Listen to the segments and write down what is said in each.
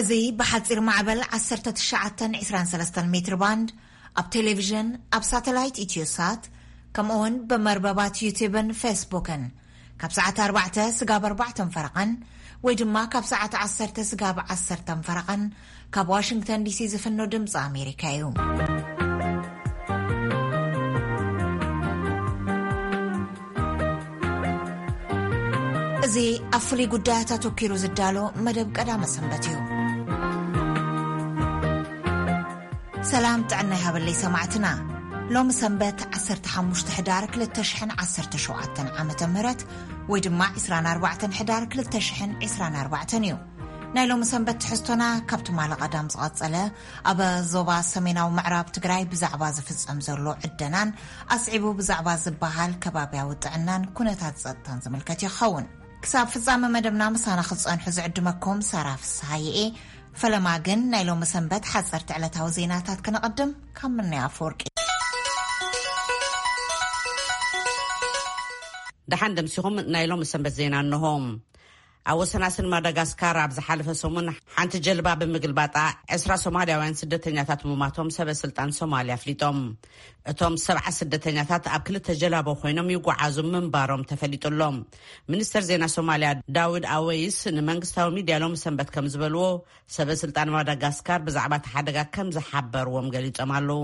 እዚ ብሓጺር ማዕበል ዓሰርተ ትሽዓተ ዕስራን ሰለስተን ሜትር ባንድ፣ ኣብ ቴሌቪዥን፣ ኣብ ሳተላይት ኢትዮሳት፣ ከምኡውን ብመርበባት ዩቲብን ፌስቡክን ካብ ሰዓት ኣርባዕተ ስጋብ ኣርባዕተን ፈረቐን ወይ ድማ ካብ ሰዓት ዓሰርተ ስጋብ ዓሰርተን ፈረቐን ካብ ዋሽንግተን ዲሲ ዝፍኖ ድምፂ ኣሜሪካ እዩ። እዚ ኣብ ፍሉይ ጉዳያት ኣተኲሩ ዝዳሎ መደብ ቀዳመ ሰንበት እዩ። ሰላም ጥዕና ይሃበለይ ሰማዕትና። ሎሚ ሰንበት ዓሰርተ ሓሙሽተ ሕዳር ክልተ ሽሕን ዓሰርተ ሸውዓተን ዓመተ ምህረት ወይ ድማ ዕስራን ኣርባዕተን ሕዳር ክልተ ሽሕን ዕስራን ኣርባዕተን እዩ። ናይ ሎሚ ሰንበት ትሕዝቶና ካብ ትማሊ ቀዳም ዝቐጸለ ኣብ ዞባ ሰሜናዊ ምዕራብ ትግራይ ብዛዕባ ዝፍጸም ዘሎ ዕደናን ኣስዒቡ ብዛዕባ ዝበሃል ከባብያዊ ጥዕናን ኩነታት ጸጥታን ዝምልከት ይኸውን። ክሳብ ፍጻመ መደብና ምሳና ክትጸንሑ ዝዕድመኩም ሳራ ፍስሃየኤ። ፈለማ ግን ናይ ሎሚ ሰንበት ሓጸርቲ ዕለታዊ ዜናታት ክነቐድም ካብ ምንያ ኣፈወርቂ። ደሓን ደምሲኹም። ናይ ሎሚ ሰንበት ዜና እንሆ። ኣብ ወሰናስን ማዳጋስካር ኣብ ዝሓለፈ ሰሙን ሓንቲ ጀልባ ብምግልባጣ ዕስራ ሶማልያውያን ስደተኛታት ምማቶም ሰበ ስልጣን ሶማልያ ኣፍሊጦም። እቶም ሰብዓ ስደተኛታት ኣብ ክልተ ጀላቦ ኮይኖም ይጓዓዙ ምንባሮም ተፈሊጡ ኣሎ። ሚኒስተር ዜና ሶማልያ ዳውድ ኣወይስ ንመንግስታዊ ሚድያ ሎሚ ሰንበት ከም ዝበልዎ፣ ሰበ ስልጣን ማዳጋስካር ብዛዕባ እቲ ሓደጋ ከም ዝሓበርዎም ገሊጾም ኣለዉ።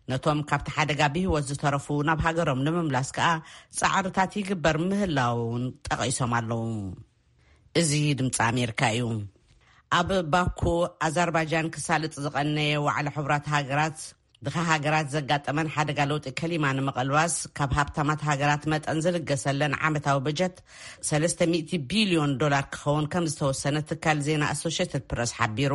ነቶም ካብቲ ሓደጋ ብህይወት ዝተረፉ ናብ ሃገሮም ንምምላስ ከኣ ጻዕርታት ይግበር ምህላውን ጠቒሶም ኣለዉ። እዚ ድምፂ ኣሜሪካ እዩ። ኣብ ባኩ ኣዘርባይጃን ክሳልጥ ዝቐነየ ዋዕላ ሕቡራት ሃገራት፣ ድኻ ሃገራት ዘጋጠመን ሓደጋ ለውጢ ከሊማ ንምቕልባስ ካብ ሃብታማት ሃገራት መጠን ዝልገሰለን ዓመታዊ በጀት ሰለስተ ሚእቲ ቢልዮን ዶላር ክኸውን ከም ዝተወሰነ ትካል ዜና ኣሶሽየትድ ፕረስ ሓቢሩ።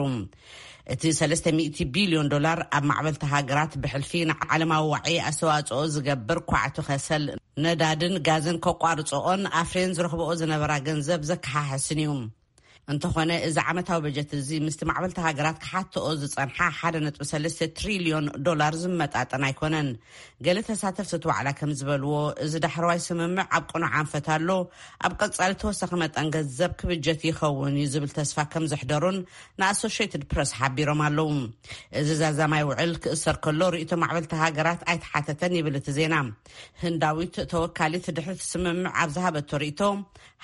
እቲ ሰለስተ ሚእቲ ቢልዮን ዶላር ኣብ ማዕበልቲ ሃገራት ብሕልፊ ንዓለማዊ ዋዒ ኣስተዋጽኦ ዝገብር ኳዕቲ ከሰል፣ ነዳድን ጋዝን ከቋርጽኦን ኣፍርየን ዝረኽብኦ ዝነበራ ገንዘብ ዘከሓሕስን እዩ። እንተኾነ፣ እዚ ዓመታዊ በጀት እዚ ምስቲ ማዕበልቲ ሃገራት ክሓትኦ ዝጸንሓ ሓደ ነጥቢ ሰለስተ ትሪልዮን ዶላር ዝመጣጠን ኣይኮነን። ገለ ተሳተፍቲ እቲ ዋዕላ ከም ዝበልዎ፣ እዚ ዳሕረዋይ ስምምዕ ኣብ ቅኑዕ ኣንፈት ኣሎ፣ ኣብ ቀጻሊ ተወሳኺ መጠን ገንዘብ ክብጀት ይኸውን እዩ ዝብል ተስፋ ከም ዘሕደሩን ንኣሶሽየትድ ፕረስ ሓቢሮም ኣለዉ። እዚ ዛዛማይ ውዕል ክእሰር ከሎ ርእይቶ ማዕበልቲ ሃገራት ኣይተሓተተን ይብል እቲ ዜና። ህንዳዊት ተወካሊት ድሕሪ እቲ ስምምዕ ኣብ ዝሃበቶ ርእይቶ፣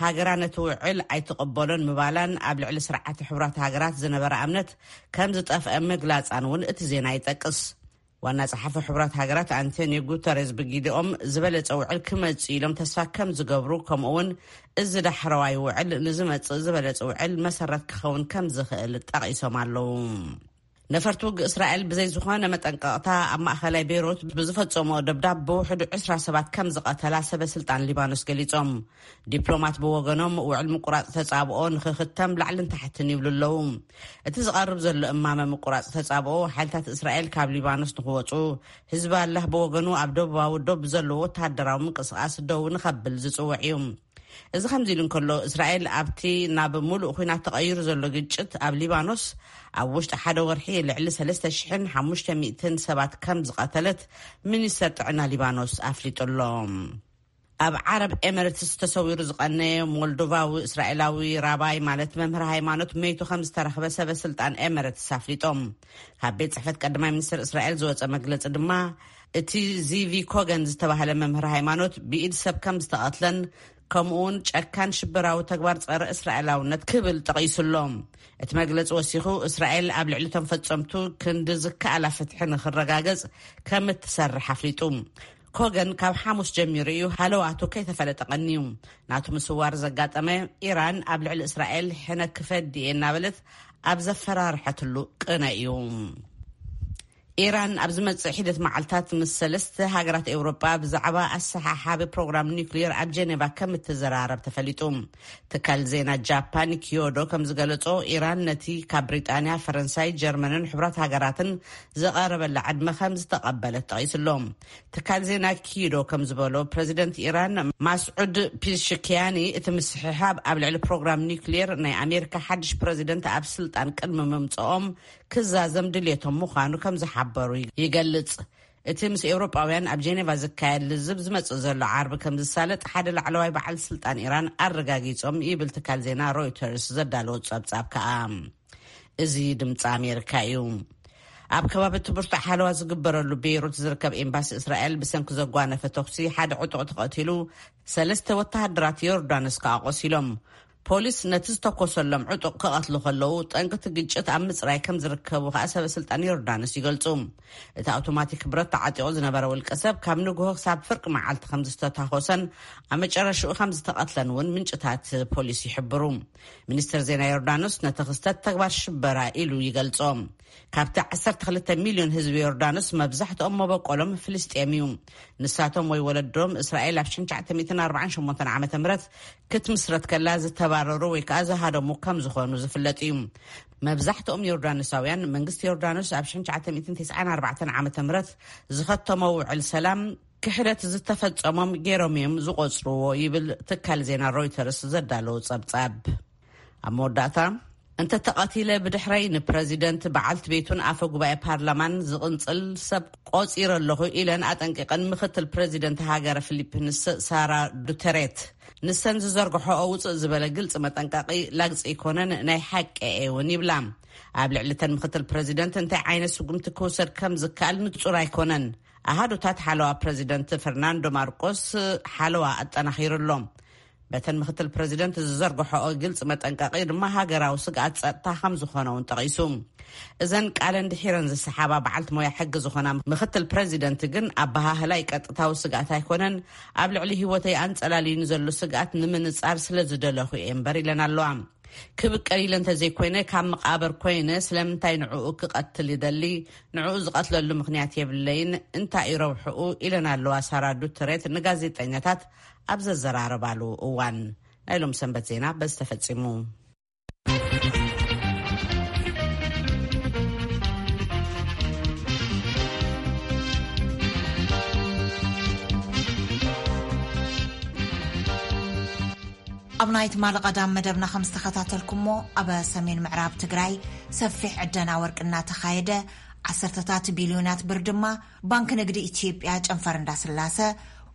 ሃገራ ነቲ ውዕል ኣይትቕበሎን ምባላን ኣብ ልዕሊ ስርዓት ሕቡራት ሃገራት ዝነበራ እምነት ከም ዝጠፍአ ምግላጻን እውን እቲ ዜና ይጠቅስ። ዋና ጸሓፊ ሕቡራት ሃገራት ኣንቶኒዮ ጉተሬዝ ብጊዲኦም ዝበለጸ ውዕል ክመጽእ ኢሎም ተስፋ ከም ዝገብሩ፣ ከምኡ እውን እዚ ዳሕረዋይ ውዕል ንዝመጽእ ዝበለጸ ውዕል መሰረት ክኸውን ከም ዝኽእል ጠቒሶም ኣለዉ። ነፈርቲ ውግእ እስራኤል ብዘይ ዝኾነ መጠንቀቕታ ኣብ ማእኸላይ ቤይሩት ብዝፈጸሞ ደብዳብ ብውሕዱ ዕስራ ሰባት ከም ዝቐተላ ሰበ ስልጣን ሊባኖስ ገሊጾም። ዲፕሎማት ብወገኖም ውዕል ምቁራጽ ተጻብኦ ንኽኽተም ላዕልን ታሕትን ይብሉ ኣለዉ። እቲ ዝቐርብ ዘሎ እማመ ምቁራጽ ተጻብኦ ሓይልታት እስራኤል ካብ ሊባኖስ ንኽወጹ፣ ህዝባላህ ብወገኑ ኣብ ደቡባዊ ዶብ ዘለዎ ወተሃደራዊ ምንቅስቓስ ደው ንኸብል ዝጽውዕ እዩ። እዚ ከምዚ ኢሉ እንከሎ፣ እስራኤል ኣብቲ ናብ ሙሉእ ኲናት ተቐይሩ ዘሎ ግጭት ኣብ ሊባኖስ ኣብ ውሽጢ ሓደ ወርሒ ልዕሊ ሰለስተ ሽሕን ሓሙሽተ ሚእትን ሰባት ከም ዝቐተለት ሚኒስተር ጥዕና ሊባኖስ ኣፍሊጡ ኣሎ። ኣብ ዓረብ ኤሚሬትስ ተሰዊሩ ዝቐነየ ሞልዶቫዊ እስራኤላዊ ራባይ፣ ማለት መምህር ሃይማኖት፣ መይቱ ከም ዝተረኽበ ሰበ ስልጣን ኤሚሬትስ ኣፍሊጦም። ካብ ቤት ጽሕፈት ቀዳማይ ሚኒስትር እስራኤል ዝወጸ መግለጺ ድማ፣ እቲ ዚቪ ኮገን ዝተባህለ መምህር ሃይማኖት ብኢድ ሰብ ከም ዝተቐትለን፣ ከምኡውን ጨካን ሽበራዊ ተግባር ጸረ እስራኤላውነት ክብል ጠቒሱ ኣሎ። እቲ መግለጺ ወሲኹ፣ እስራኤል ኣብ ልዕሊ እቶም ፈጸምቱ ክንዲ ዝከኣላ ፍትሒ ንኽረጋገጽ ከም እትሰርሕ ኣፍሊጡ። ኮገን ካብ ሓሙስ ጀሚሩ እዩ ሃለዋቱ ከይተፈለጠ ቀንዩ። ናቱ ምስዋር ዘጋጠመ፣ ኢራን ኣብ ልዕሊ እስራኤል ሕነ ክፈዲ እየ እናበለት ኣብ ዘፈራርሐትሉ ቅነ እዩ። ኢራን ኣብ ዝመጽእ ሒደት መዓልታት ምስ ሰለስተ ሃገራት ኤውሮጳ ብዛዕባ ኣሰሓሓቢ ፕሮግራም ኒውክሊየር ኣብ ጀኔቫ ከም እትዘራረብ ተፈሊጡ። ትካል ዜና ጃፓን ኪዮዶ ከም ዝገለጾ፣ ኢራን ነቲ ካብ ብሪጣንያ፣ ፈረንሳይ፣ ጀርመንን ሕቡራት ሃገራትን ዝቐረበላ ዕድመ ከም ዝተቐበለት ጠቒሱ ኣሎ። ትካል ዜና ኪዶ ከም ዝበሎ፣ ፕረዚደንት ኢራን ማስዑድ ፒዝሽክያኒ፣ እቲ ምስሕሓብ ኣብ ልዕሊ ፕሮግራም ኒውክሊየር ናይ ኣሜሪካ ሓድሽ ፕረዚደንት ኣብ ስልጣን ቅድሚ ምምጽኦም ክዛዘም ድልየቶም ምዃኑ ከም ዝሓበሩ ይገልጽ። እቲ ምስ ኤውሮጳውያን ኣብ ጄኔቫ ዝካየድ ልዝብ ዝመጽእ ዘሎ ዓርቢ ከም ዝሳለጥ ሓደ ላዕለዋይ በዓል ስልጣን ኢራን ኣረጋጊጾም ይብል ትካል ዜና ሮይተርስ ዘዳለዎ ጸብጻብ ከኣ። እዚ ድምፂ ኣሜሪካ እዩ። ኣብ ከባቢ እቲ ብርቱዕ ሓለዋ ዝግበረሉ ቤይሩት ዝርከብ ኤምባሲ እስራኤል ብሰንኪ ዘጓነፈ ተኩሲ ሓደ ዕጡቕ ተቐቲሉ፣ ሰለስተ ወተሃደራት ዮርዳኖስ ከኣ ቆሲሎም። ፖሊስ ነቲ ዝተኮሰሎም ዕጡቕ ክቐትሉ ከለዉ፣ ጠንቅቲ ግጭት ኣብ ምጽራይ ከም ዝርከቡ ከኣ ሰበ ስልጣን ዮርዳኖስ ይገልጹ። እቲ ኣውቶማቲክ ብረት ተዓጢቑ ዝነበረ ውልቀ ሰብ ካብ ንግሆ ክሳብ ፍርቂ መዓልቲ ከም ዝተታኮሰን ኣብ መጨረሽኡ ከም ዝተቐትለን እውን ምንጭታት ፖሊስ ይሕብሩ። ሚኒስትር ዜና ዮርዳኖስ ነቲ ክስተት ተግባር ሽበራ ኢሉ ይገልጾ። ካብቲ ዓሰርተ ክልተ ሚልዮን ህዝቢ ዮርዳኖስ መብዛሕትኦም መበቆሎም ፍልስጤም እዩ። ንሳቶም ወይ ወለዶም እስራኤል ኣብ ሽሕን ትሽዓተ ሚእትን ኣርባዓን ሸሞንተን ዓመተ ምህረት ክትምስረት ከላ ዝተባረሩ ወይ ከኣ ዝሃደሙ ከም ዝኾኑ ዝፍለጥ እዩ። መብዛሕትኦም ዮርዳኖሳውያን መንግስቲ ዮርዳኖስ ኣብ ሽሕን ትሽዓተ ሚእትን ተስዓን ኣርባዕተን ዓመተ ምህረት ዝኸተሞ ውዕል ሰላም ክሕደት ዝተፈጸሞም ገይሮም እዮም ዝቖጽርዎ ይብል ትካል ዜና ሮይተርስ ዘዳለዎ ጸብጻብ። ኣብ መወዳእታ፣ እንተ ተቐቲለ ብድሕረይ ንፕረዚደንት በዓልቲ ቤቱን ኣፈ ጉባኤ ፓርላማን ዝቕንጽል ሰብ ቆጺረ ኣለኹ ኢለን ኣጠንቂቐን ምክትል ፕረዚደንት ሃገረ ፊሊፒንስ ሳራ ዱተሬት። ንሰን ዝዘርግሖኦ ውፅእ ዝበለ ግልፂ መጠንቀቒ ላግፂ ኣይኮነን፣ ናይ ሓቂ እየ እውን ይብላ። ኣብ ልዕሊ እተን ምክትል ፕረዚደንት እንታይ ዓይነት ስጉምቲ ክውሰድ ከም ዝከኣል ንጹር ኣይኮነን። ኣሃዱታት ሓለዋ ፕረዚደንት ፈርናንዶ ማርቆስ ሓለዋ ኣጠናኺሩ ኣሎ። በተን ምክትል ፕረዚደንት ዝዘርግሖኦ ግልፂ መጠንቀቒ ድማ ሃገራዊ ስግኣት ጸጥታ ከም ዝኾነ እውን ጠቒሱ። እዘን ቃለን ድሒረን ዝሰሓባ በዓልቲ ሞያ ሕጊ ዝኾና ምክትል ፕረዚደንት ግን ኣበሃህላይ ቀጥታዊ ስግኣት ኣይኮነን፣ ኣብ ልዕሊ ህይወተይ ኣንጸላልዩ ንዘሎ ስግኣት ንምንጻር ስለ ዝደለኹ እየ እምበር ኢለን ኣለዋ። ክብቀል ኢለ እንተዘይኮይነ ካብ መቓብር ኮይነ ስለምንታይ ንዕኡ ክቐትል ይደሊ? ንዕኡ ዝቐትለሉ ምኽንያት የብለይን። እንታይ እዩ ረብሕኡ? ኢለን ኣለዋ ሳራ ዱተሬት ንጋዜጠኛታት ኣብ ዘዘራረባሉ እዋን። ናይ ሎም ሰንበት ዜና በዚ ተፈጺሙ። ኣብ ናይ ትማሊ ቀዳም መደብና ከም ዝተኸታተልኩሞ፣ ኣብ ሰሜን ምዕራብ ትግራይ ሰፊሕ ዕደና ወርቂ እናተኻየደ፣ ዓሰርተታት ቢልዮናት ብር ድማ ባንክ ንግዲ ኢትዮጵያ ጨንፈር እንዳስላሰ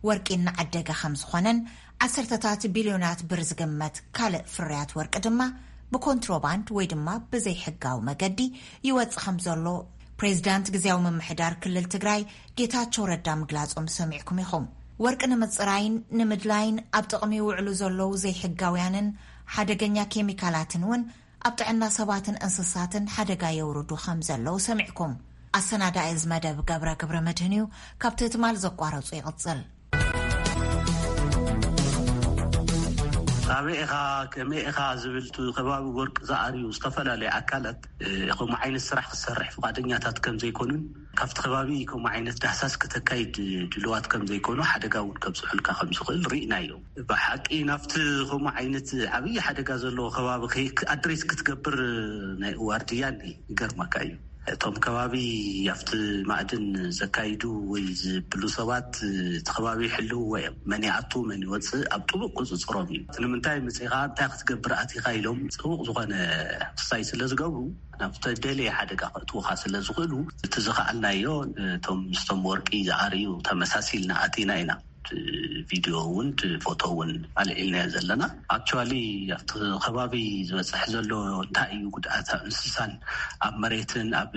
ወርቂ እናዓደገ ከም ዝኾነን፣ ዓሰርተታት ቢልዮናት ብር ዝግመት ካልእ ፍርያት ወርቂ ድማ ብኮንትሮባንድ ወይ ድማ ብዘይሕጋዊ መገዲ ይወጽእ ከም ዘሎ ፕሬዚዳንት ግዝያዊ ምምሕዳር ክልል ትግራይ ጌታቸው ረዳ ምግላጾም ሰሚዕኩም ኢኹም። ወርቂ ንምጽራይን ንምድላይን ኣብ ጥቕሚ ይውዕሉ ዘለዉ ዘይሕጋውያንን ሓደገኛ ኬሚካላትን እውን ኣብ ጥዕና ሰባትን እንስሳትን ሓደጋ የውርዱ ከም ዘለዉ ሰሚዕኩም። ኣሰናዳኢ እዚ መደብ ገብረ ገብረ መድህን እዩ። ካብቲ ትማል ዘቋረጹ ይቕጽል። ኣበይ ኢኻ፣ ከመይ ኢኻ ዝብል እቲ ከባቢ ወርቂ ዝኣርዩ ዝተፈላለዩ ኣካላት፣ እ፣ ከምኡ ዓይነት ስራሕ ክሰርሕ ፍቓደኛታት ከም ዘይኮኑን፣ ካብቲ ከባቢ ከምኡ ዓይነት ዳህሳስ ከተካይድ ድልዋት ከም ዘይኮኑ፣ ሓደጋ እውን ከብፅሑልካ ከም ዝኽእል ርኢናዮ። ብሓቂ ናብቲ ከምኡ ዓይነት ዓብዪ ሓደጋ ዘለዎ ከባቢ ከይ-፣ ኣድሬስ ክትገብር ናይ ዋርድያ እኒ ይገርመካ እዩ። እቶም ከባቢ ኣብቲ ማዕድን ዘካይዱ ወይ ዝብሉ ሰባት እቲ ከባቢ ይሕልውዎ እዮም። መን ይኣቱ መን ይወፅእ ኣብ ጥቡቕ ቁፅፅሮም እዩ። እቲ ንምንታይ መፂኻ እንታይ ክትገብር ኣቲኻ ኢሎም ፅቡቕ ዝኾነ ክሳይ ስለ ዝገብሩ ናብ ተደለየ ሓደጋ ከእትዉኻ ስለ ዝኽእሉ እቲ ዝኸኣልናዮ እቶም ምስቶም ወርቂ ዝኣርዩ ተመሳሲልና ኣቲና ኢና። ቪድዮ እውን ፎቶ እውን ኣልዒልናዮ ዘለና። ኣክቹዋሊ ኣብቲ ከባቢ ዝበፅሕ ዘሎ እንታይ እዩ ጉድኣት ኣብ እንስሳን ኣብ መሬትን ኣብ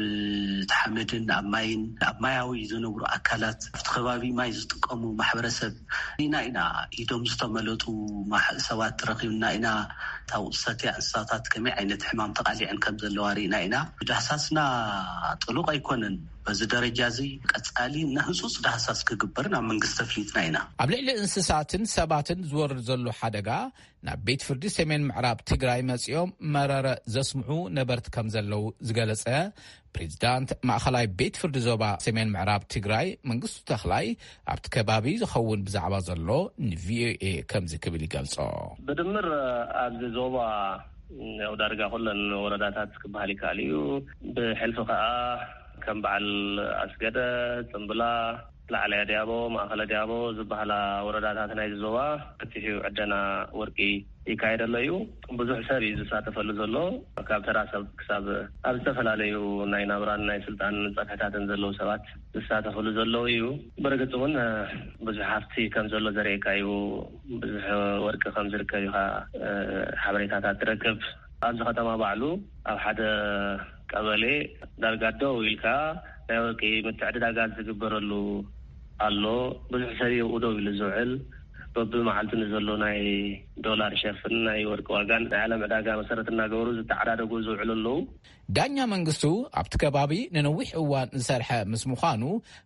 ሓመድን ኣብ ማይን ኣብ ማያዊ ዝነብሩ ኣካላት ኣብቲ ከባቢ ማይ ዝጥቀሙ ማሕበረሰብ ኢና ኢና ኢዶም ዝተመለጡ ማሕ- ሰባት ረኺብና ኢና። እታ ውፅሰትያ እንስሳታት ከመይ ዓይነት ሕማም ተቃሊዐን ከም ዘለዋ ርኢና ኢና። ብዳህሳስና ጥሉቕ ኣይኮነን። በዚ ደረጃ እዚ ቀጻሊ እና ህጹጽ ዳህሳስ ክግበርን ኣብ መንግስቲ ኣፍሊጥና ኢና። ኣብ ልዕሊ እንስሳትን ሰባትን ዝወርድ ዘሎ ሓደጋ ናብ ቤት ፍርዲ ሰሜን ምዕራብ ትግራይ መጺኦም መረረ ዘስምዑ ነበርቲ ከም ዘለዉ ዝገለጸ ፕሬዚዳንት ማእኸላይ ቤት ፍርዲ ዞባ ሰሜን ምዕራብ ትግራይ መንግስቱ ተኽላይ ኣብቲ ከባቢ ዝኸውን ብዛዕባ ዘሎ ንቪኦኤ ከምዚ ክብል ይገልጾ። ብድምር ኣብዚ ዞባ ያው ዳርጋ ኩለን ወረዳታት ክበሃል ይከኣል እዩ። ብሕልፊ ከዓ ከም በዓል ኣስገደ፣ ፅምብላ፣ ላዕለያ ዲያቦ፣ ማእኸለ ዲያቦ ዝበሃላ ወረዳታት ናይዚ ዞባ ሰፊሕ እዩ ዕደና ወርቂ ይካየደሎ እዩ። ብዙሕ ሰብ እዩ ዝሳተፈሉ ዘሎ። ካብ ተራ ሰብ ክሳብ ኣብ ዝተፈላለዩ ናይ ናብራን ናይ ስልጣን ፀፍሕታትን ዘለዉ ሰባት ዝሳተፍሉ ዘለዉ እዩ። ብርግፅ እውን ብዙሕ ሃፍቲ ከም ዘሎ ዘርእየካ እዩ። ብዙሕ ወርቂ ከም ዝርከብ ኢኻ ሓበሬታታት ትረክብ። ኣብዚ ከተማ ባዕሉ ኣብ ሓደ ቀበሌ ዳርጋ ደው ኢልካ ናይ ወርቂ ምትዕድዳጋት ዝግበረሉ ኣሎ። ብዙሕ ሰብ ይብኡ ደው ኢሉ ዝውዕል፣ በብመዓልቱ ንዘሎ ናይ ዶላር ሸርፍን ናይ ወርቂ ዋጋን ናይ ዓለም ዕዳጋ መሰረት እናገበሩ ዝተዓዳደጉ ዝውዕሉ ኣለዉ። ዳኛ መንግስቱ ኣብቲ ከባቢ ንነዊሕ እዋን ዝሰርሐ ምስ ምዃኑ፣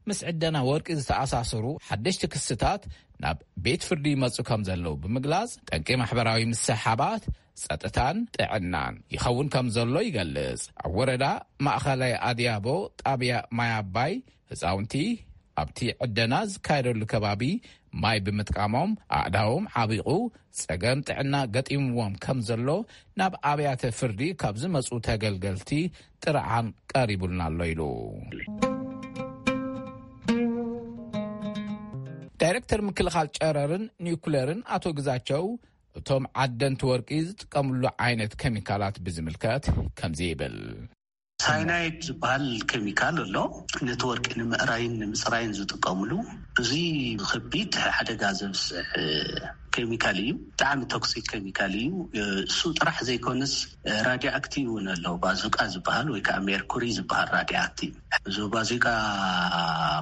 ምስ ዕደና ወርቂ ዝተኣሳሰሩ ሓደሽቲ ክስታት ናብ ቤት ፍርዲ ይመጹ ከም ዘለዉ ብምግላጽ፣ ጠንቂ ማሕበራዊ ምስሕሓባት፣ ጸጥታን ጥዕናን ይኸውን ከም ዘሎ ይገልጽ። ኣብ ወረዳ ማእኸላይ ኣድያቦ ጣብያ ማይ ኣባይ ህፃውንቲ ኣብቲ ዕደና ዝካየደሉ ከባቢ ማይ ብምጥቃሞም ኣእዳዎም ዓቢቑ ጸገም ጥዕና ገጢምዎም ከም ዘሎ ናብ ኣብያተ ፍርዲ ካብ ዝመጹ ተገልገልቲ ጥርዓን ቀሪቡልና ኣሎ ኢሉ። ዳይሬክተር ምክልኻል ጨረርን ኒውክለርን ኣቶ ግዛቸው እቶም ዓደንቲ ወርቂ ዝጥቀምሉ ዓይነት ኬሚካላት ብዝምልከት ከምዚ ይብል። ሳይናይድ ዝበሃል ኬሚካል ኣሎ፣ ነቲ ወርቂ ንምእራይን ንምፅራይን ዝጥቀምሉ። እዚ ከቢድ ሓደጋ ዘብፅሕ ኬሚካል እዩ። ብጣዕሚ ቶክሲክ ኬሚካል እዩ። እሱ ጥራሕ ዘይኮነስ ራድዮ ኣክቲቭ እውን ኣሎ። ባዙቃ ዝበሃል ወይ ከዓ ሜርኩሪ ዝበሃል ራድዮ ኣክቲቭ፣ እዚ ባዙቃ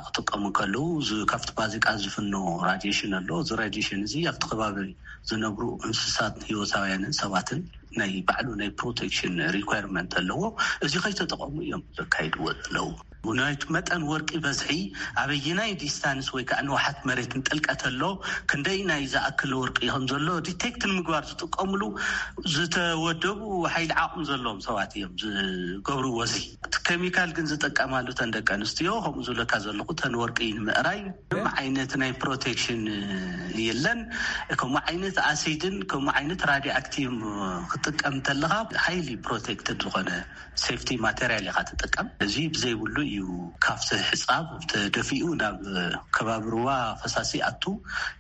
ክጥቀሙ ከለዉ፣ እዚ ካብቲ ባዙቃ ዝፍኖ ራዲሽን ኣሎ። እዚ ራዲሽን እዚ ኣብቲ ከባቢ ዝነብሩ እንስሳት ህይወታውያንን ሰባትን ናይ ባዕሉ ናይ ፕሮቴክሽን ሪኳርመንት ኣለዎ። እዚ ከይተጠቐሙ እዮም ዘካይድዎ ዘለዉ። ናይቲ መጠን ወርቂ በዝሒ ኣበየናይ ዲስታንስ ወይ ከዓ ንውሓት መሬትን ጥልቀት ኣሎ፣ ክንደይ ናይ ዝኣክል ወርቂ ከም ዘሎ ዲቴክት ንምግባር ዝጥቀምሉ ዝተወደቡ ሓይሊ ዓቕሚ ዘለዎም ሰባት እዮም ዝገብርዎ። እዚ እቲ ኬሚካል ግን ዝጥቀማሉ ተን ደቂ ኣንስትዮ ከምኡ ዝብለካ ዘለኹ ተን ወርቂ ንምእራይ ምንም ዓይነት ናይ ፕሮቴክሽን የለን። ከምኡ ዓይነት ኣሲድን ከምኡ ዓይነት ራድዮ ኣክቲቭ ክትጥቀም እንተለኻ ሃይሊ ፕሮቴክትድ ዝኾነ ሴፍቲ ማቴሪያል ኢኻ ትጥቀም። እዚ ብዘይብሉ እዩ ካብቲ ሕፃብ ተደፊኡ ናብ ከባቢ ሩባ ፈሳሲ ኣቱ፣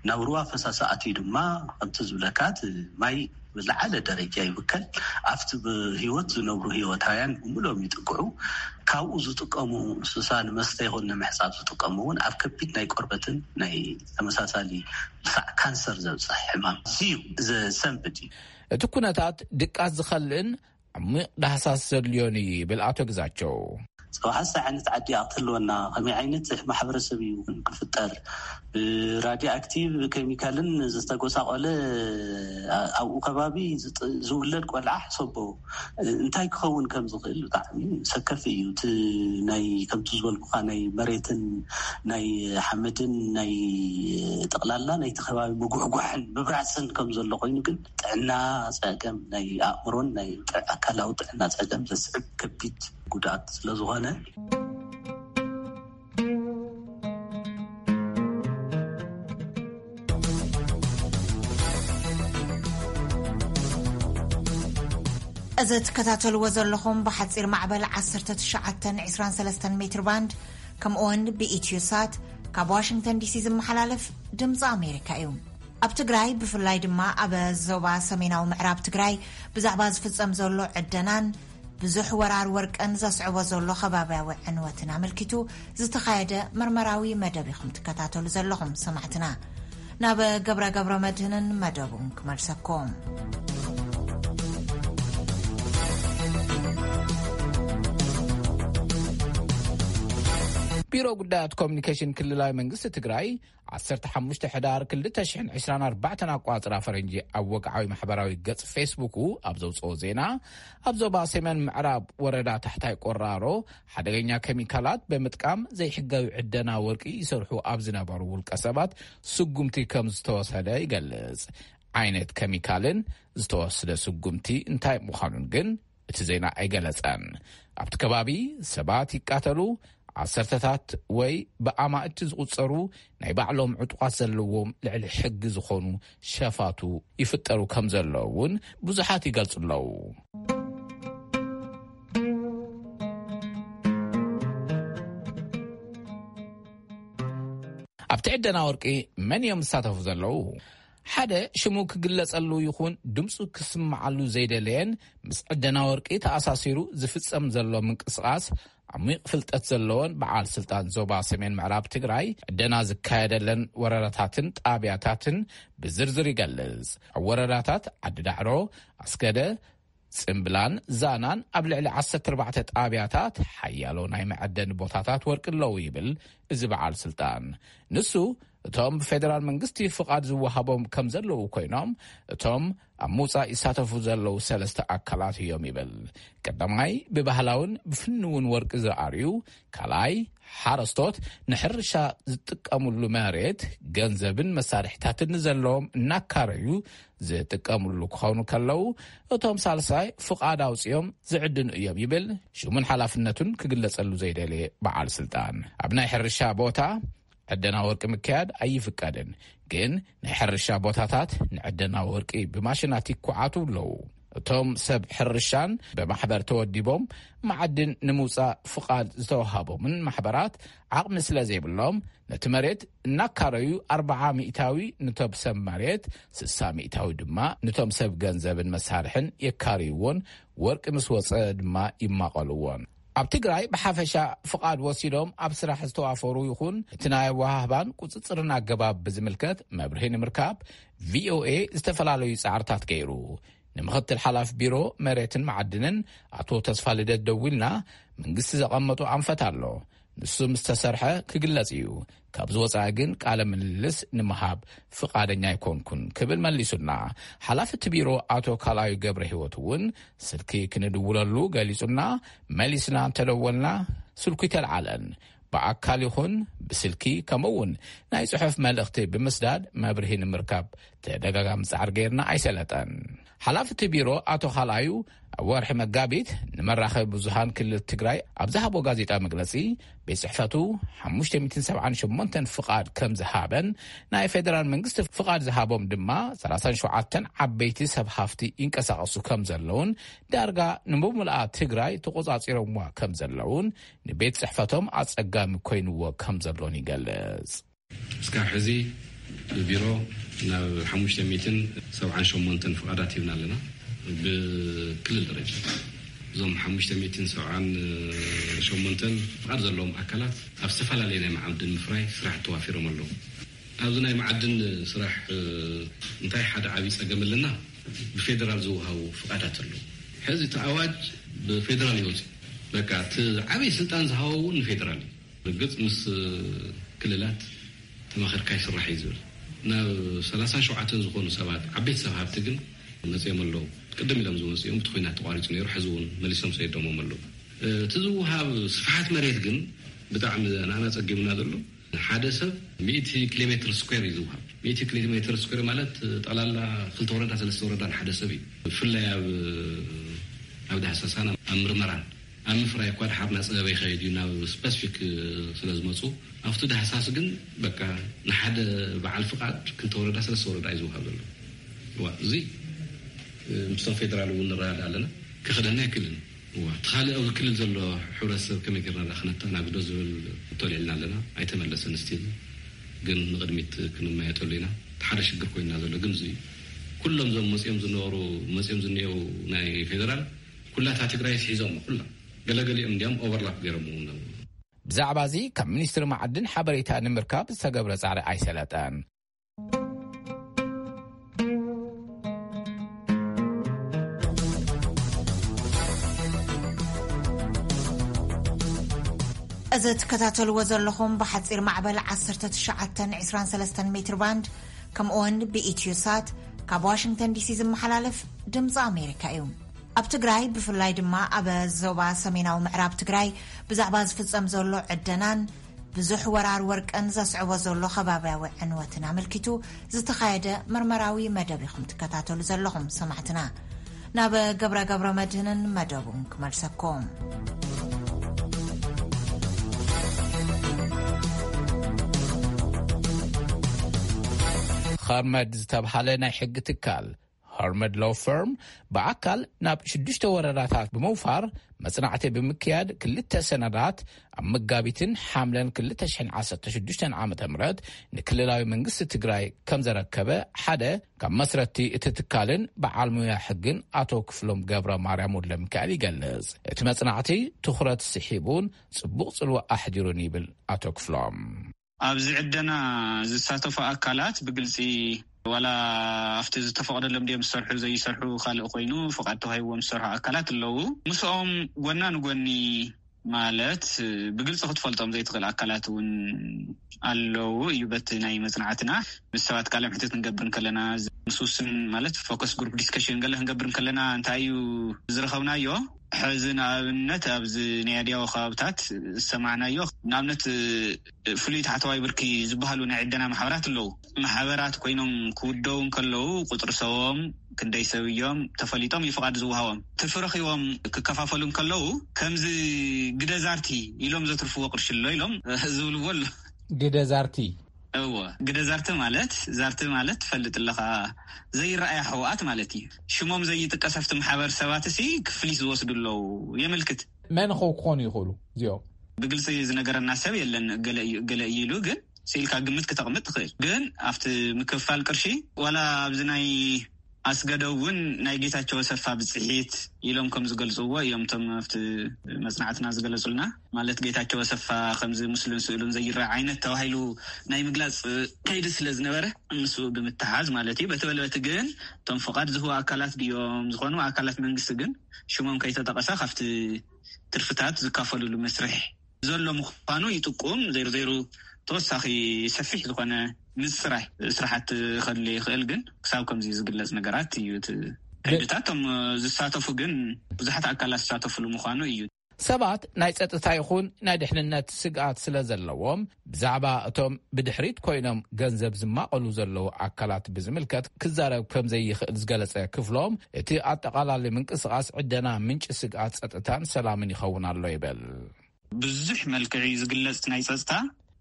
ናብ ሩባ ፈሳሲ ኣትዩ ድማ ከምቲ ዝብለካ እቲ ማይ ብዝለዓለ ደረጃ ይብከል። ኣብቲ ብህይወት ዝነብሩ ህይወታውያን ብምሎም ይጥቅዑ። ካብኡ ዝጥቀሙ እንስሳ ንመስተ ይኹን ንምሕፃብ ዝጥቀሙ እውን ኣብ ከቢድ ናይ ቆርበትን ናይ ተመሳሳሊ ክሳዕ ካንሰር ዘብፅሕ ሕማም እዩ ዘሰንብድ እዩ። እቲ ኩነታት ድቃስ ዝኸልእን ዓሚቕ ዳህሳስ ዘድልዮን እዩ ይብል ኣቶ ግዛቸው። ሰብሓሳ ዓይነት ዓዲ ክትህልወና ከመይ ዓይነት ማሕበረሰብ እዩ ክፍጠር? ብራድዮ ኣክቲቭ ኬሚካልን ዝተጎሳቆለ ኣብኡ ከባቢ ዝውለድ ቆልዓ ሕሰቦ እንታይ ክኸውን ከም ዝኽእል ብጣዕሚ ሰከፊ እዩ። እቲ ናይ ከምቲ ዝበልኩካ ናይ መሬትን ናይ ሓመድን ናይ ጠቕላላ ናይቲ ከባቢ ምጉሕጓሕን ምብራፅን ከም ዘሎ ኮይኑ ግን ጥዕና ፀገም ናይ ኣእምሮን ናይ ኣካላዊ ጥዕና ፀገም ዘስዕብ ከቢድ ጉድኣት ስለዝኾነ። እዚ ትከታተልዎ ዘለኹም ብሓፂር ማዕበል ዓሰርተ ትሽዓተ ዕስራን ሰለስተን ሜትር ባንድ ከምኡውን ብኢትዮ ሳት ካብ ዋሽንግተን ዲሲ ዝመሓላለፍ ድምፂ ኣሜሪካ እዩ። ኣብ ትግራይ ብፍላይ ድማ ኣብ ዞባ ሰሜናዊ ምዕራብ ትግራይ ብዛዕባ ዝፍፀም ዘሎ ዕደናን ብዙሕ ወራር ወርቅን ዘስዕቦ ዘሎ ከባብያዊ ዕንወትን ኣመልኪቱ ዝተኻየደ መርመራዊ መደብ ኢኹም ትከታተሉ ዘለኹም ሰማዕትና። ናብ ገብረ ገብረ መድህንን መደቡን ክመልሰኩም። ቢሮ ጉዳያት ኮሚኒኬሽን ክልላዊ መንግስቲ ትግራይ ዓሰርተ ሓሙሽተ ሕዳር ክልተ ሽሕን ዕስራን ኣርባዕተን ኣቋፅራ ፈረንጂ ኣብ ወግዓዊ ማሕበራዊ ገፅ ፌስቡኩ ኣብ ዘውፅኦ ዜና፣ ኣብ ዞባ ሰሜን ምዕራብ ወረዳ ታሕታይ ቆራሮ ሓደገኛ ኬሚካላት ብምጥቃም ዘይሕጋዊ ዕደና ወርቂ ይሰርሑ ኣብ ዝነበሩ ውልቀ ሰባት ስጉምቲ ከም ዝተወሰደ ይገልፅ። ዓይነት ኬሚካልን ዝተወስደ ስጉምቲ እንታይ ምዃኑን ግን እቲ ዜና ኣይገለጸን። ኣብቲ ከባቢ ሰባት ይቃተሉ፣ ዓሰርተታት ወይ ብኣማእቲ ዝቑጸሩ ናይ ባዕሎም ዕጡቓት ዘለዎም ልዕሊ ሕጊ ዝኾኑ ሸፋቱ ይፍጠሩ ከም ዘለዉ እውን ብዙሓት ይገልጹ ኣለዉ። ኣብቲ ዕደና ወርቂ መን እዮም ዝሳተፉ ዘለዉ? ሓደ ሽሙ ክግለጸሉ ይኹን ድምፁ ክስምዓሉ ዘይደለየን ምስ ዕደና ወርቂ ተኣሳሲሩ ዝፍጸም ዘሎ ምንቅስቓስ ዓሚቕ ፍልጠት ዘለዎን በዓል ስልጣን ዞባ ሰሜን ምዕራብ ትግራይ ዕደና ዝካየደለን ወረዳታትን ጣብያታትን ብዝርዝር ይገልጽ። ኣብ ወረዳታት ዓዲ ዳዕሮ፣ ኣስገደ፣ ጽምብላን ዛናን ኣብ ልዕሊ ዓሰርተ ኣርባዕተ ጣብያታት ሓያሎ ናይ መዐደኒ ቦታታት ወርቂ ኣለዉ ይብል እዚ በዓል ስልጣን። ንሱ እቶም ብፌደራል መንግስቲ ፍቓድ ዝወሃቦም ከም ዘለዉ ኮይኖም፣ እቶም ኣብ ምውጻእ ይሳተፉ ዘለዉ ሰለስተ ኣካላት እዮም ይብል። ቀዳማይ ብባህላውን ብፍንውን ወርቂ ዝኣርዩ፣ ካልኣይ ሓረስቶት ንሕርሻ ዝጥቀሙሉ መሬት፣ ገንዘብን መሳርሒታትን ዘለዎም እናካረዩ ዝጥቀሙሉ ክኾኑ ከለዉ፣ እቶም ሳልሳይ ፍቓድ ኣውጺኦም ዝዕድኑ እዮም ይብል ሽሙን ሓላፍነቱን ክግለጸሉ ዘይደለየ በዓል ስልጣን። ኣብ ናይ ሕርሻ ቦታ ዕደና ወርቂ ምክያድ ኣይፍቀድን፣ ግን ናይ ሕርሻ ቦታታት ንዕደና ወርቂ ብማሽናት ይኩዓቱ ኣለዉ። እቶም ሰብ ሕርሻን ብማሕበር ተወዲቦም መዓድን ንምውጻእ ፍቓድ ዝተወሃቦምን ማሕበራት ዓቕሚ ስለ ዘይብሎም፣ ነቲ መሬት እናካረዩ ኣርብዓ ሚእታዊ ንቶም ሰብ መሬት፣ ስሳ ሚእታዊ ድማ ንቶም ሰብ ገንዘብን መሳርሕን የካርይዎን፣ ወርቂ ምስ ወጸ ድማ ይማቐልዎን። ኣብ ትግራይ ብሓፈሻ ፍቓድ ወሲዶም ኣብ ስራሕ ዝተዋፈሩ ይኹን እቲ ናይ ኣወሃህባን ቁጽጽርን ኣገባብ ብዝምልከት መብርሂ ንምርካብ ቪኦኤ ዝተፈላለዩ ጻዕርታት ገይሩ። ንምኽትል ሓላፊ ቢሮ መሬትን መዓድንን ኣቶ ተስፋ ልደት ደዊልና፣ መንግስቲ ዘቐመጦ ኣንፈት ኣሎ፣ ንሱ ምስ ተሰርሐ ክግለጽ እዩ፣ ካብ ዝወጻኢ ግን ቃለ ምልልስ ንምሃብ ፍቓደኛ ኣይኮንኩን ክብል መሊሱና። ሓላፊ እቲ ቢሮ ኣቶ ካልኣዩ ገብረ ህይወት እውን ስልኪ ክንድውለሉ ገሊጹና፣ መሊስና እንተደወልና ስልኩ ይተልዓለን። ብኣካል ይኹን ብስልኪ ከምኡ እውን ናይ ጽሑፍ መልእኽቲ ብምስዳድ መብርሂ ንምርካብ ተደጋጋሚ ጻዕሪ ገይርና ኣይሰለጠን። ሓላፊ እቲ ቢሮ ኣቶ ካልኣዩ ኣብ ወርሒ መጋቢት ንመራኸቢ ብዙሃን ክልል ትግራይ ኣብ ዝሃቦ ጋዜጣ መግለጺ፣ ቤት ጽሕፈቱ ሓሙሽተ ሚእትን ሰብዓን ሸሞንተን ፍቓድ ከም ዝሃበን፣ ናይ ፌደራል መንግስቲ ፍቓድ ዝሃቦም ድማ ሰላሳን ሸውዓተን ዓበይቲ ሰብ ሃፍቲ ይንቀሳቐሱ ከም ዘለውን፣ ዳርጋ ንምሙልኣ ትግራይ ተቖጻጺሮምዋ ከም ዘለውን፣ ንቤት ጽሕፈቶም ኣጸጋሚ ኮይንዎ ከም ዘሎን ይገልጽ። እስካብ ሕዚ ብቢሮ ናብ ሓሙሽተ ሚእትን ሰብዓን ሸሞንተን ፍቓዳት ሂብና ኣለና። ብክልል ደረጃ እዞም ሓሙሽተ ሚእትን ሰብዓን ሸሞንተን ፍቓድ ዘለዎም ኣካላት ኣብ ዝተፈላለየ ናይ መዓድን ምፍራይ ስራሕ ተዋፊሮም ኣለዉ። ኣብዚ ናይ መዓድን ስራሕ፣ እ፣ እንታይ ሓደ ዓብዪ ጸገም ኣለና? ብፌደራል ዝወሃቡ ፍቓዳት ኣለዉ። ሕዚ እቲ ኣዋጅ ብፌደራል ይወጽእ። በቃ እቲ ዓብዪ ስልጣን ዝሃቦ እውን ንፌደራል እዩ። ርግጽ ምስ ክልላት ተማኸርካ ይስራሕ እዩ ዝብል። ናብ ሰላሳን ሸውዓተን ዝኾኑ ሰባት፣ ዓበይቲ ሰብ ሃብቲ ግን መጺኦም ኣለዉ። ቅድም ኢሎም ዝመጹ እዮም። እቲ ኲናት ተቋሪጹ ነይሩ፣ ሕዚ እውን መሊሶም ሰዲዶሞም ኣለዉ። እቲ ዝወሃብ ስፍሓት መሬት ግን ብጣዕሚ ንኣና ጸጊሙና ዘሎ። ሓደ ሰብ ሚእቲ ኪሎ ሜትር ስኩዌር እዩ ዝወሃብ። ሚእቲ ኪሎ ሜትር ስኩዌር ማለት ጠቕላላ ክልተ ወረዳ፣ ሰለስተ ወረዳ ንሓደ ሰብ እዩ። ብፍላይ ኣብ፣ ኣብ ዳህሳሳን ኣብ ምርመራን ኣብ ምፍራይ እኳ ድሓር እናጸበበ ይኸይድ እዩ፣ ናብ ስፐሲፊክ ስለ ዝመጹ። ኣብቲ ዳህሳስ ግን በቃ ንሓደ በዓል ፍቓድ ክልተ ወረዳ፣ ሰለስተ ወረዳ እዩ ዝወሃብ ዘሎ። እዋ፣ እዚ ምስቶም ፌደራል እውን ንረዳዳ ኣለና። ክኸደና ኣይክእልን። እዋ፣ እቲ ካልእ ኣብዚ ክልል ዘሎ ሕብረተሰብ ከመይ ጌርና ደኣ ክነተኣናግዶ ዝብል ተልዒልና ኣለና። ኣይተመለሰን ስቲል። ግን ንቕድሚት ክንመያየጠሉ ኢና። እቲ ሓደ ሽግር ኮይንና ዘሎ ግን እዚ እዩ። ኩሎም እዞም መጺኦም ዝነበሩ፣ መጺኦም ዝኒኤው ናይ ፌደራል ኩላታ ትግራይ ስሒዞም ኩላ። ገለገሊኦም እንዲያም ኦቨርላፕ ገይሮም እውን ኣለዉ። ብዛዕባ እዚ ካብ ሚኒስትሪ መዓድን ሓበሬታ ንምርካብ ዝተገብረ ጻዕሪ ኣይሰለጠን። እዚ ትከታተልዎ ዘለኹም ብሓጺር ማዕበል ዓሰርተ ትሽዓተን ዕስራን ሰለስተን ሜትር ባንድ፣ ከምኡውን ብኢትዮ ሳት ካብ ዋሽንግተን ዲሲ ዝመሓላለፍ ድምፂ ኣሜሪካ እዩ። ኣብ ትግራይ፣ ብፍላይ ድማ ኣብ ዞባ ሰሜናዊ ምዕራብ ትግራይ ብዛዕባ ዝፍጸም ዘሎ ዕደናን ብዙሕ ወራር ወርቅን ዘስዕቦ ዘሎ ከባብያዊ ዕንወትን ኣመልኪቱ ዝተኻየደ መርመራዊ መደብ ኢኹም ትከታተሉ ዘለኹም ሰማዕትና። ናብ ገብረ ገብረ መድህንን መደቡን ክመልሰኩም። ኸርመድ ዝተብሃለ ናይ ሕጊ ትካል፣ ኸርመድ ሎ ፈርም፣ ብኣካል ናብ ሽዱሽተ ወረዳታት ብምውፋር መጽናዕቲ ብምክያድ፣ ክልተ ሰነዳት ኣብ መጋቢትን ሓምለን ክልተ ሽሕን ዓሰርተ ሽዱሽተን ዓመተ ምህረት ንክልላዊ መንግስቲ ትግራይ ከም ዘረከበ ሓደ ካብ መስረትቲ እቲ ትካልን በዓል ሙያ ሕግን ኣቶ ክፍሎም ገብረ ማርያም ወልደ ሚካኤል ይገልጽ። እቲ መጽናዕቲ ትኹረት ስሒቡን ጽቡቕ ጽልዋ ኣሕዲሩን ይብል ኣቶ ክፍሎም። ኣብዚ ዕደና ዝሳተፉ ኣካላት ብግልጺ ዋላ ኣብቲ ዝተፈቐደሎም ድዮም ዝሰርሑ ዘይሰርሑ ካልእ ኮይኑ ፍቓድ ተዋሂብዎም ዝሰርሑ ኣካላት ኣለዉ። ምስኦም ጎና ንጎኒ ማለት ብግልፂ ክትፈልጦም ዘይትኽእል ኣካላት እውን ኣለዉ እዩ። በቲ ናይ መፅናዕትና ምስ ሰባት ቃለ ምሕትት ክንገብር እንከለና፣ ምስ ውስን ማለት ፎከስ ግሩፕ ዲስከሽን ገለ ክንገብር እንከለና እንታይ እዩ ዝረኸብናዮ? ሕዚ ንኣብነት ኣብዚ ናይ ኣድያዊ ከባብታት ዝሰማዕናዮ፣ ንኣብነት ፍሉይ ታሕተዋይ ብርኪ ዝበሃሉ ናይ ዕደና ማሕበራት ኣለዉ። ማሕበራት ኮይኖም ክውደቡ እንከለዉ ቁፅሪ ሰቦም ክንደይ ሰብ እዮም ተፈሊጦም እዩ ፍቓድ ዝወሃቦም። ትርፊ ረኺቦም ክከፋፈሉ እንከለዉ ከምዚ ግደ ዛርቲ ኢሎም ዘትርፍዎ ቅርሺ ኣሎ ኢሎም ዝብልዎ ኣሎ። ግደ ዛርቲ። እዎ፣ ግደ ዛርቲ ማለት፣ ዛርቲ ማለት ትፈልጥ ኣለኻ፣ ዘይረኣያ ሕወኣት ማለት እዩ። ሽሞም ዘይጥቀስ ኣብቲ ማሕበር ሰባት እሲ ክፍሊት ዝወስዱ ኣለዉ የመልክት። መን ኸው ክኾኑ ይኽእሉ እዚኦም? ብግልፂ ዝነገረና ሰብ የለን፣ ገለ እዩ፣ ገለ እዩ ኢሉ ግን ስኢልካ ግምት ክተቕምጥ ትኽእል። ግን ኣብቲ ምክፍፋል ቅርሺ ዋላ ኣብዚ ናይ ኣስገደ እውን ናይ ጌታቸው ኣሰፋ ብፅሒት ኢሎም ከም ዝገልፅዎ እዮም እቶም ኣብቲ መፅናዕትና ዝገለፁልና። ማለት ጌታቸው ኣሰፋ ከምዚ ምስሉን ስእሉን ዘይረአ ዓይነት ተባሂሉ ናይ ምግላፅ ከይዲ ስለ ዝነበረ ምስኡ ብምትሓዝ ማለት እዩ። በቲ በለበቲ ግን እቶም ፍቓድ ዝህቡ ኣካላት ድዮም ዝኾኑ ኣካላት መንግስቲ ግን ሽሞም ከይተጠቐሰ ካብቲ ትርፍታት ዝካፈልሉ መስርሕ ዘሎ ምዃኑ ይጥቁም። ዘይሩ ዘይሩ ተወሳኺ ሰፊሕ ዝኾነ ምፅራይ ስራሕቲ ከድሊ ይኽእል፣ ግን ክሳብ ከምዚ ዝግለጽ ነገራት እዩ እቲ ከይድታት። እቶም ዝሳተፉ ግን ብዙሓት ኣካላት ዝሳተፉሉ ምዃኑ እዩ። ሰባት ናይ ጸጥታ ይኹን ናይ ድሕንነት ስግኣት ስለ ዘለዎም፣ ብዛዕባ እቶም ብድሕሪት ኮይኖም ገንዘብ ዝማቐሉ ዘለዉ ኣካላት ብዝምልከት ክዛረብ ከም ዘይኽእል ዝገለጸ ክፍሎም፣ እቲ ኣጠቓላሊ ምንቅስቓስ ዕደና ምንጪ ስግኣት ጸጥታን ሰላምን ይኸውን ኣሎ ይብል። ብዙሕ መልክዕ እዩ ዝግለጽ ናይ ጸጥታ።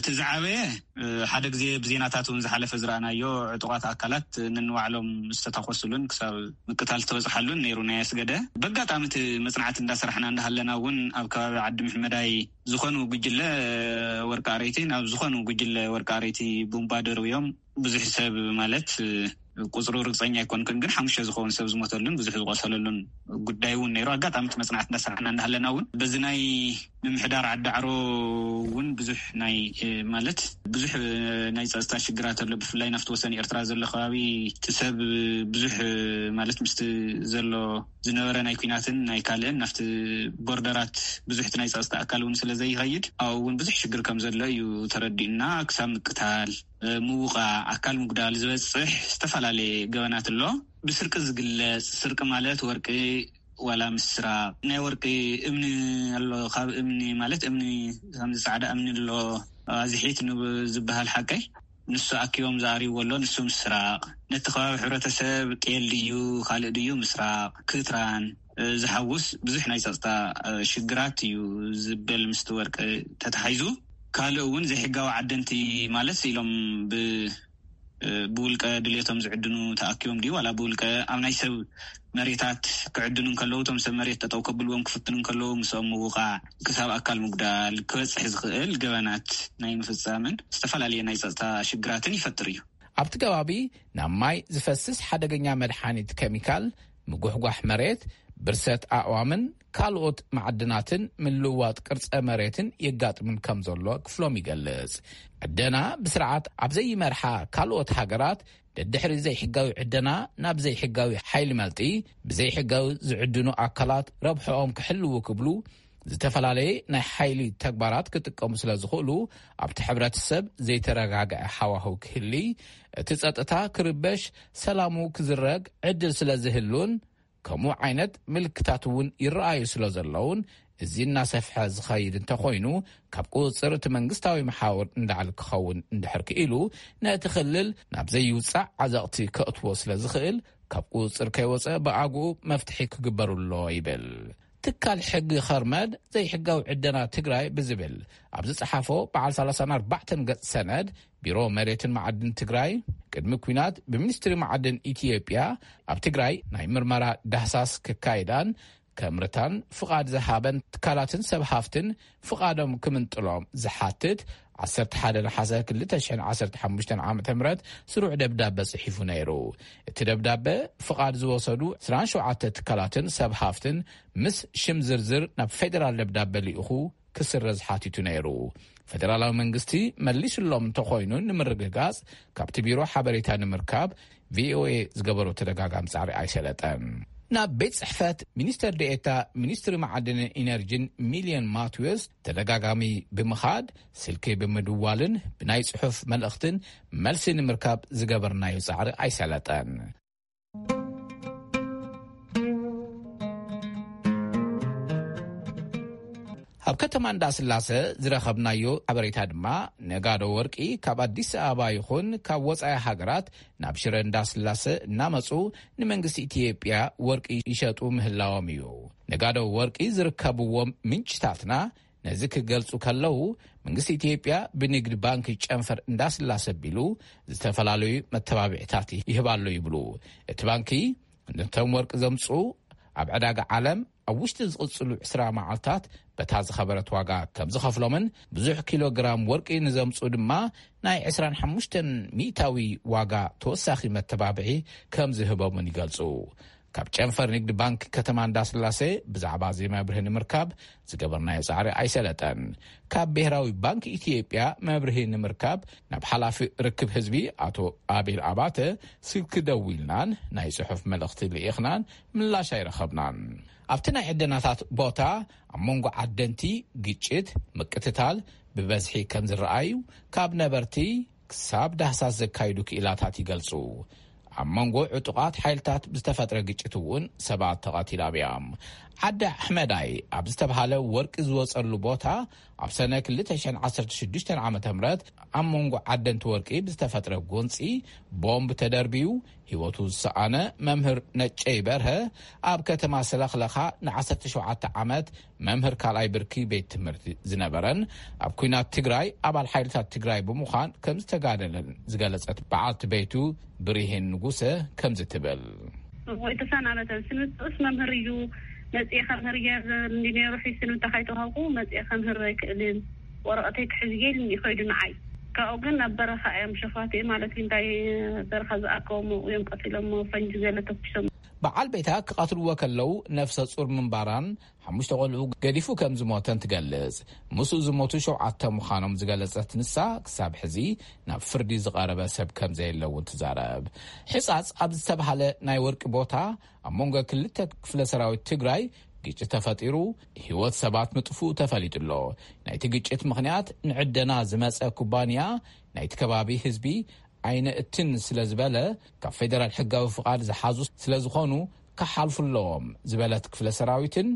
እቲ ዝዓበየ፣ እ፣ ሓደ ግዜ ብዜናታት እውን ዝሓለፈ ዝረኣናዮ፣ ዕጡቓት ኣካላት ነንባዕሎም ዝተታኮሱሉን ክሳብ ምቅታል ዝተበጽሓሉን ነይሩ ናይ ኣስገደ። በጋጣሚ እቲ መጽናዕቲ እንዳሰራሕና እንዳሃለና እውን ኣብ ከባቢ ዓዲ ምሕመዳይ ዝኾኑ ጉጅለ ወርቂ ኣረይቲ ናብ ዝኾኑ ጉጅለ ወርቂ ኣረይቲ ቡምባ ደርብዮም ብዙሕ ሰብ ማለት፣ እ፣ ቁጽሩ ርግጸኛ ኣይኮንኩን፣ ግን ሓሙሽተ ዝኸውን ሰብ ዝሞተሉን ብዙሕ ዝቆሰለሉን ጉዳይ እውን ነይሩ። ኣጋጣሚ እቲ መጽናዕቲ እንዳሰራሕና እንዳሃለና እውን በዚ ናይ ምምሕዳር ዓዲ ዓሮ እውን ብዙሕ ናይ፣ እ፣ ማለት ብዙሕ፣ እ፣ ናይ ጸጥታ ሽግራት ኣሎ። ብፍላይ ናብቲ ወሰን ኤርትራ ዘሎ ከባቢ እቲ ሰብ ብዙሕ፣ እ፣ ማለት ምስቲ ዘሎ ዝነበረ ናይ ኲናትን ናይ ካልእን ናብቲ ቦርደራት ብዙሕ እቲ ናይ ጸጥታ ኣካል እውን ስለ ዘይኸይድ ኣብኡ እውን ብዙሕ ሽግር ከም ዘሎ እዩ ተረዲኡና። ክሳብ ምቅታል፣ እ፣ ምውቃዕ፣ ኣካል ምጉዳል ዝበጽሕ ዝተፈላለየ ገበናት ኣሎ። ብስርቂ ዝግለጽ፣ ስርቂ ማለት ወርቂ ዋላ ምስራቕ፣ ናይ ወርቂ እምኒ ኣሎ፣ ካብ እምኒ ማለት እምኒ ከምዚ ጻዕዳ እምኒ ኣሎ፣ ኣዝሒት ንብ-፣ ዝበሃል ሓቀይ፣ ንሱ ኣኪቦም ዝኣርይዎ ኣሎ፣ ንሱ ምስራቕ፣ ነቲ ከባቢ ሕብረተሰብ ጤል ድዩ ካልእ ድዩ ምስራቕ፣ ክትራን፣ እ፣ ዝሓውስ ብዙሕ ናይ ጸጥታ፣ እ፣ ሽግራት እዩ ዝበል ምስቲ ወርቂ ተታሒዙ። ካልእ እውን ዘይሕጋዊ ዓደንቲ ማለት ኢሎም ብ-፣ እ፣ ብውልቀ ድልየቶም ዝዕድኑ ተኣኪቦም ድዩ ዋላ ብውልቀ ኣብ ናይ ሰብ መሬታት ክዕድኑ እንከለዉ እቶም ሰብ መሬት ጠጠው ከብልዎም ክፍትኑ እንከለዉ ምስኦም ምውቃዕ ክሳብ ኣካል ምጉዳል ክበጽሕ ዝኽእል ገበናት ናይ ምፍጻምን ዝተፈላለየ ናይ ጸጥታ ሽግራትን ይፈጥር እዩ። ኣብቲ ከባቢ ናብ ማይ ዝፈስስ ሓደገኛ መድሓኒት ኬሚካል፣ ምጉሕጓሕ መሬት፣ ብርሰት ኣእዋምን ካልኦት ማዕድናትን ምልውዋጥ ቅርጸ መሬትን የጋጥምን ከም ዘሎ ክፍሎም ይገልጽ። ዕደና ብስርዓት ኣብ ዘይመርሓ ካልኦት ሃገራት፣ ደድሕሪ ዘይሕጋዊ ዕደና ናብ ዘይሕጋዊ ሓይሊ መልጢ፣ ብዘይሕጋዊ ዝዕድኑ ኣካላት ረብሕኦም ክሕልዉ ክብሉ፣ ዝተፈላለየ ናይ ሓይሊ ተግባራት ክጥቀሙ ስለ ዝኽእሉ፣ ኣብቲ ሕብረተሰብ ዘይተረጋግዐ ሃዋህው ክህሊ፣ እቲ ጸጥታ ክርበሽ፣ ሰላሙ ክዝረግ ዕድል ስለ ዝህሉን፣ ከምኡ ዓይነት ምልክታት እውን ይረኣዩ ስለ ዘለውን፣ እዚ እናሰፍሐ ዝኸይድ እንተኾይኑ፣ ካብ ቁጽጽር እቲ መንግስታዊ መሓውር እንዳዕል ክኸውን እንድሕር ክኢሉ፣ ነቲ ክልል ናብ ዘይውጻዕ ዓዘቕቲ ከእትዎ ስለ ዝኽእል፣ ካብ ቁጽጽር ከይወጸ ብኣግኡ መፍትሒ ክግበሩ ኣሎ ይብል። ትካል ሕጊ ኸርመድ ዘይሕጋዊ ዕደና ትግራይ ብዝብል ኣብ ዝጸሓፎ በዓል ሰላሳን ኣርባዕተን ገጽ ሰነድ፣ ቢሮ መሬትን መዓድን ትግራይ ቅድሚ ኲናት ብሚኒስትሪ መዓድን ኢትዮጵያ ኣብ ትግራይ ናይ ምርመራ ዳህሳስ ክካይዳን ከምርታን ፍቓድ ዝሃበን ትካላትን ሰብ ሃፍትን ፍቓዶም ክምንጥሎም ዝሓትት ዓሰርተ ሓደ ነሓሰ ክልተ ሽሕን ዓሰርተ ሓሙሽተን ዓመተ ምህረት ስሩዕ ደብዳበ ጽሒፉ ነይሩ። እቲ ደብዳበ ፍቓድ ዝወሰዱ ዕስራን ሸውዓተ ትካላትን ሰብ ሃፍትን ምስ ሽም ዝርዝር ናብ ፌደራል ደብዳበ ልኢኹ ክስረዝ ሓቲቱ ነይሩ። ፈደራላዊ መንግስቲ መሊሱሎም እንተኾይኑ ንምርግጋጽ ካብቲ ቢሮ ሓበሬታ ንምርካብ ቪኦኤ ዝገበሮ ተደጋጋሚ ጻዕሪ ኣይሰለጠን። ናብ ቤት ጽሕፈት ሚኒስተር ዴኤታ ሚኒስትሪ መዓድንን ኢነርጂን ሚልዮን ማትዌስ ተደጋጋሚ ብምኻድ፣ ስልኪ ብምድዋልን ብናይ ጽሑፍ መልእኽትን መልሲ ንምርካብ ዝገበርናዮ ጻዕሪ ኣይሰለጠን። ኣብ ከተማ እንዳስላሰ ዝረኸብናዮ ሓበሬታ ድማ፣ ነጋዶ ወርቂ ካብ ኣዲስ ኣበባ ይኹን ካብ ወጻኢ ሃገራት ናብ ሽረ እንዳስላሰ እናመጹ ንመንግስቲ ኢትዮጵያ ወርቂ ይሸጡ ምህላዎም እዩ። ነጋዶ ወርቂ ዝርከብዎም ምንጭታትና ነዚ ክገልጹ ከለዉ፣ መንግስቲ ኢትዮጵያ ብንግድ ባንክ ጨንፈር እንዳስላሰ ቢሉ ዝተፈላለዩ መተባብዕታት ይህባሉ ይብሉ። እቲ ባንኪ ነቶም ወርቂ ዘምጽኡ ኣብ ዕዳጋ ዓለም ኣብ ውሽጢ ዝቕጽሉ ዕስራ መዓልታት በታ ዝኸበረት ዋጋ ከም ዝኸፍሎምን ብዙሕ ኪሎ ግራም ወርቂ ንዘምጽኡ ድማ ናይ ዕስራን ሓሙሽተን ሚእታዊ ዋጋ ተወሳኺ መተባብዒ ከም ዝህቦምን ይገልጹ። ካብ ጨንፈር ንግዲ ባንክ ከተማ እንዳስላሴ ብዛዕባ እዚ መብርሂ ንምርካብ ዝገበርናዮ ጻዕሪ ኣይሰለጠን። ካብ ብሄራዊ ባንክ ኢትዮጵያ መብርሂ ንምርካብ ናብ ሓላፊ ርክብ ህዝቢ ኣቶ ኣቤል ኣባተ ስልኪ ደዊልናን ናይ ጽሑፍ መልእኽቲ ልኢኽናን ምላሽ ኣይረኸብናን። ኣብቲ ናይ ዕደናታት ቦታ ኣብ መንጎ ዓደንቲ ግጭት፣ ምቅትታል ብበዝሒ ከም ዝረኣዩ ካብ ነበርቲ ክሳብ ዳህሳስ ዘካይዱ ክኢላታት ይገልጹ። ኣብ መንጎ ዕጡቓት ሓይልታት ብዝተፈጥረ ግጭት እውን ሰባት ተቐቲሎም እዮም። ዓዲ ኣሕመዳይ ኣብ ዝተብሃለ ወርቂ ዝወጸሉ ቦታ ኣብ ሰነ ክልተ ሽሕን ዓሰርተ ሽዱሽተን ዓመተ ምህረት ኣብ መንጎ ዓደንቲ ወርቂ ብዝተፈጥረ ጎንጺ ቦምብ ተደርብዩ ህይወቱ ዝሰኣነ መምህር ነጨይ በርሀ፣ ኣብ ከተማ ሰለኽለኻ ንዓሰርተ ሸውዓተ ዓመት መምህር ካልኣይ ብርኪ ቤት ትምህርቲ ዝነበረን ኣብ ኲናት ትግራይ ኣባል ሓይልታት ትግራይ ብምዃን ከም ዝተጋደለን ዝገለጸት በዓልቲ ቤቱ ብሪሄን ንጉሰ ከምዚ ትብል። ወይ ተሰናበተ። ስንብትኡስ መምህር እዩ። መጽኤ ከምህር እየ እንዲ ነይሩ ሒዝ ስንብታ ካይተዋሃብኩ መጽኤ ከምህር ኣይክእልን። ወረቐተይ ክሕዝ እየ ኢሉኒ ከይዱ ንዓይ። ካብኡ ግን ናብ በረኻ እዮም ሸፋቱ ማለት እዩ። እንታይ በረኻ ዝኣከቦም እዮም ቀቲሎሞ፣ ፈንጂ ገለ ተኩሶም። በዓል ቤታ ክቐትልዎ ከለዉ ነፍሰ ጹር ምንባራን ሓሙሽተ ቆልዑ ገዲፉ ከም ዝሞተን ትገልጽ። ምስኡ ዝሞቱ ሸውዓተ ምዃኖም ዝገለጸት ንሳ፣ ክሳብ ሕዚ ናብ ፍርዲ ዝቐረበ ሰብ ከም ዘየለ እውን ትዛረብ። ሕጻጽ ኣብ ዝተባህለ ናይ ወርቂ ቦታ ኣብ መንጎ ክልተ ክፍለ ሰራዊት ትግራይ ግጭት ተፈጢሩ፣ ህይወት ሰባት ምጥፍኡ ተፈሊጡ ኣሎ። ናይቲ ግጭት ምኽንያት ንዕደና ዝመጸ ኩባንያ ናይቲ ከባቢ ህዝቢ ኣይነእትን ስለ ዝበለ፣ ካብ ፌደራል ሕጋዊ ፍቓድ ዝሓዙ ስለ ዝኾኑ ክሓልፉ ኣለዎም ዝበለት ክፍለ ሰራዊትን፣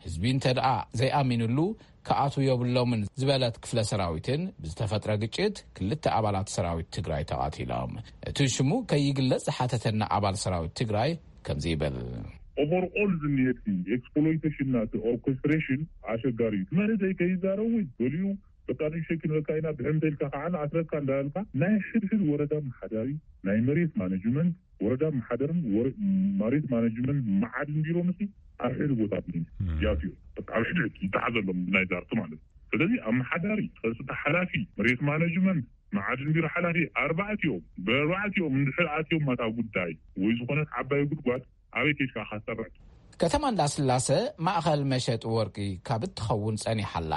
ህዝቢ እንተ ደኣ ዘይኣሚንሉ ክኣትዉ የብሎምን ዝበለት ክፍለ ሰራዊትን፣ ብዝተፈጥረ ግጭት ክልተ ኣባላት ሰራዊት ትግራይ ተቓቲሎም። እቲ ሽሙ ከይግለጽ ዝሓተተና ኣባል ሰራዊት ትግራይ ከምዚ ይብል። ኦቨርኦል ዝኒሄ እቲ ኤክስፕሎይቴሽን ናቲ ኦርኬስትሬሽን ኣሸጋሪ እዩ። መሬተይ ከይዛረብ ወይ ገሊኡ በቃ ንእሽተይ ክንበካ ኢና፣ ብሕምተ ኢልካ ከዓ ንኣስረካ እንዳበልካ ናይ ሕድሕድ ወረዳ መሓዳሪ ናይ መሬት ማኔጅመንት፣ ወረዳ መሓደርን ወረ-፣ መሬት ማኔጅመንት መዓድን ቢሮ ምስ ኣብ ሕድ ቦታ ያትዮ በቃ ኣብ ሕድ ይተሓዘሎም ናይ ዛርቲ ማለት እዩ። ስለዚ ኣመሓዳሪ፣ ጸጥታ ሓላፊ፣ መሬት ማኔጅመንት፣ መዓድን ቢሮ ሓላፊ ኣርባዕቲኦም ብኣርባዕቲኦም እንድሕር ኣትዮም ማታ ጉዳይ ወይ ዝኾነት ዓባይ ጉድጓድ ኣበይ ኬድካ ካሰርዕ? ከተማ እንዳስላሰ ማእኸል መሸጢ ወርቂ ካብ እትኸውን ጸኒሓ ኣላ።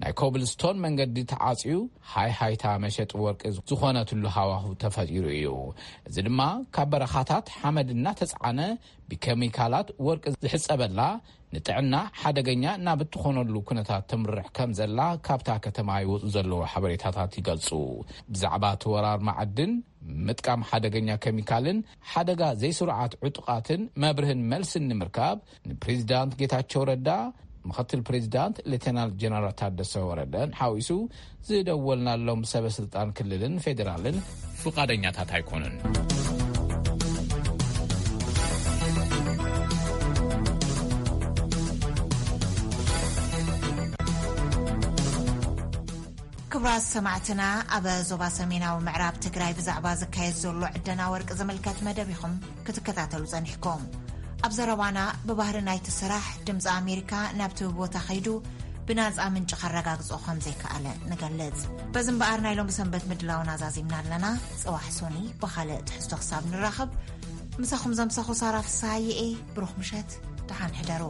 ናይ ኮብልስቶን መንገዲ ተዓጽዩ፣ ሃይ ሃይታ መሸጢ ወርቂ ዝኾነትሉ ሃዋሁ ተፈጢሩ እዩ። እዚ ድማ ካብ በረኻታት ሓመድ እናተጽዓነ ብኬሚካላት ወርቂ ዝሕጸበላ፣ ንጥዕና ሓደገኛ ናብ እትኾነሉ ኩነታት ተምርሕ ከም ዘላ ካብታ ከተማ ይወጹ ዘለዉ ሓበሬታታት ይገልጹ። ብዛዕባ እቲ ወራር መዓድን ምጥቃም ሓደገኛ ኬሚካልን ሓደጋ ዘይስሩዓት ዕጡቓትን መብርህን መልስን ንምርካብ ንፕሬዚዳንት ጌታቸው ረዳ፣ ምኽትል ፕሬዚዳንት ሌተናል ጀነራል ታደሰ ወረደን ሓዊሱ ዝደወልናሎም ሰበ ስልጣን ክልልን ፌዴራልን ፍቓደኛታት ኣይኮኑን። ክቡራት ሰማዕትና፣ ኣብ ዞባ ሰሜናዊ ምዕራብ ትግራይ ብዛዕባ ዝካየድ ዘሎ ዕደና ወርቂ ዝምልከት መደብ ኢኹም ክትከታተሉ ጸኒሕኩም። ኣብ ዘረባና፣ ብባህሪ ናይቲ ስራሕ ድምፂ ኣሜሪካ ናብቲ ቦታ ከይዱ ብናፃ ምንጪ ከረጋግጾ ከም ዘይከኣለ ንገልጽ። በዚ እምበኣር ናይ ሎሚ ሰንበት ምድላውና ዛዚምና ኣለና። ጽባሕ ሶኒ ብኻልእ ትሕዝቶ ክሳብ ንራኸብ፣ ምሳኹም ዘምሳኹ ሳራ ፍስሃየ እየ። ብሩኽ ምሸት፣ ደሓን ሕደሩ።